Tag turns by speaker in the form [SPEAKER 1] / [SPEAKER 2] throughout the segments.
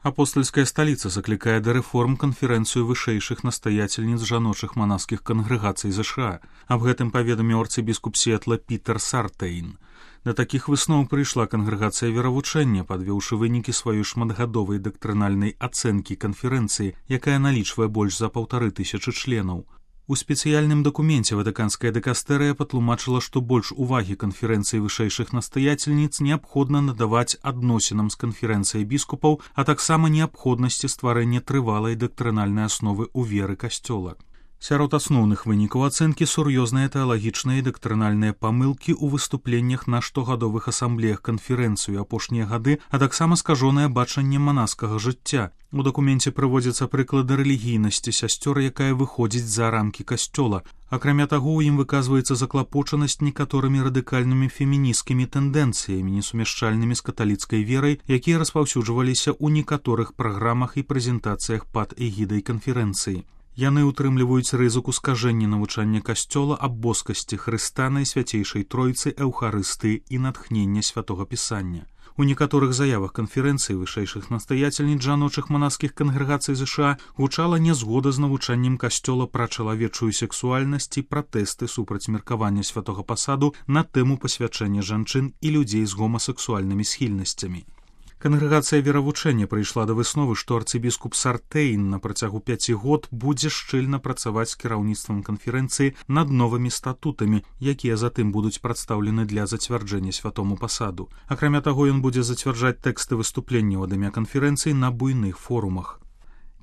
[SPEAKER 1] Апостольская сталіца заклікае да рэформ канферэнцыю вышэйшых настаяцельніц жаночых манаскіх кангрэгацый ЗША. Аб гэтым паведаміў арцыбіскуп Сіэтла Пітер Сартейн. Да такіх высноў прыйшла кангрэгацыя веравучэння, падвёўшы вынікі сваёй шматгадовай дактрынальнай ацэнкі канферэнцыі, якая налічвае больш за 1500 членаў. У спецыяльным дакуменце ватыканская дыкастэрыя патлумачыла, што больш увагі канферэнцыі вышэйшых настаяцельніц неабходна надаваць адносінам з канферэнцыяй біскупаў, а таксама неабходнасці стварэння трывалай дактрынальнай асновы ў веры касцёла. Сярод асноўных вынікаў ацэнкі сур'ёзныя тэалагічныя і дактрынальныя памылкі ў выступленнях на штогадовых асамблеях канферэнцыю апошнія гады, а таксама скажонае бачанне манаскага жыцця. У дакуменце прыводзяцца прыклады рэлігійнасці сясцёр, якая выходзіць за рамкі касцёла. Акрамя таго, у ім выказваецца заклапочанасць некаторымі радыкальнымі фемінісцкімі тэндэнцыямі, несумяшчальнымі з каталіцкай верай, якія распаўсюджваліся ў некаторых праграмах і прэзентацыях пад эгідай канферэнцыі. Яны ўтрымліваюць рызыку скажэння навучання касцёла аб боскасці Хрыста, Найсвяцейшай Тройцы, Эўхарыстыі і натхнення святога пісання. У некаторых заявах канферэнцыі вышэйшых настаяцельніц жаночых манаскіх кангрэгацый ЗША гучала нязгода з навучаннем касцёла пра чалавечую сексуальнасць і пратэсты супраць меркавання святога пасаду на тэму пасвячэння жанчын і людзей з гомасексуальнымі схільнасцямі. Кангрэгацыя веравучэння прыйшла да высновы, што арцыбіскуп Сартейн на працягу 5 год будзе шчыльна працаваць з кіраўніцтвам канферэнцыі над новымі статутамі, якія затым будуць прадстаўлены для зацвярджэння святому пасаду. Акрамя таго, ён будзе зацвярджаць тэксты выступленняў ад імя канферэнцыі на буйных форумах.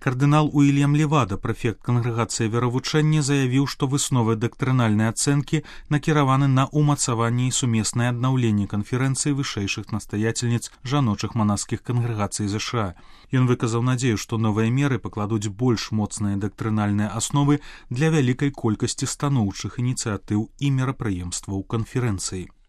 [SPEAKER 1] Кардынал Уільям Левада, прэфект кангрэгацыі веравучэння, заявіў, што высновы дактрынальнай ацэнкі накіраваны на ўмацаванне і сумеснае аднаўленне канферэнцыі вышэйшых настаяцельніц жаночых манаскіх кангрэгацый ЗША. Ён выказаў надзею, што новыя меры пакладуць больш моцныя дактрынальныя асновы для вялікай колькасці станоўчых ініцыятыў і мерапрыемстваў канферэнцыі.